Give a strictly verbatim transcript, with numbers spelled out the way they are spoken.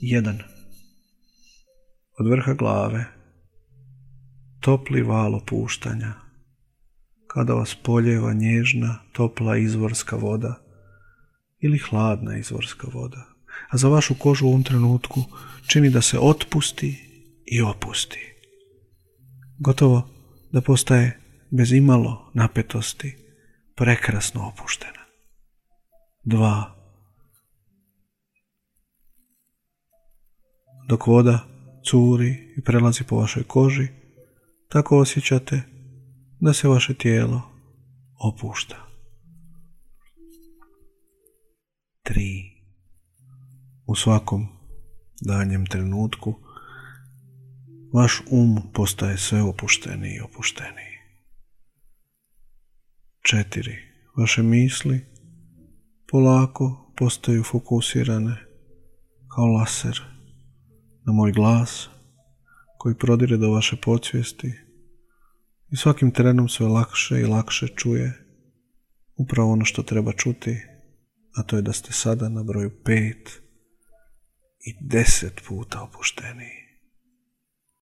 jedan. Od vrha glave topli val opuštanja, kada vas poljeva nježna, topla izvorska voda ili hladna izvorska voda, a za vašu kožu u ovom trenutku čini da se otpusti i opusti. Gotovo da postaje bez imalo napetosti, prekrasno opuštena. Dva. Dok voda curi i prelazi po vašoj koži, tako osjećate da se vaše tijelo opušta. Tri. U svakom danjem trenutku vaš um postaje sve opušteniji i opušteniji. Četiri. Vaše misli polako postaju fokusirane kao laser na moj glas koji prodire do vaše podsvijesti i svakim trenom sve lakše i lakše čuje upravo ono što treba čuti, a to je da ste sada na broju pet i deset puta opušteniji.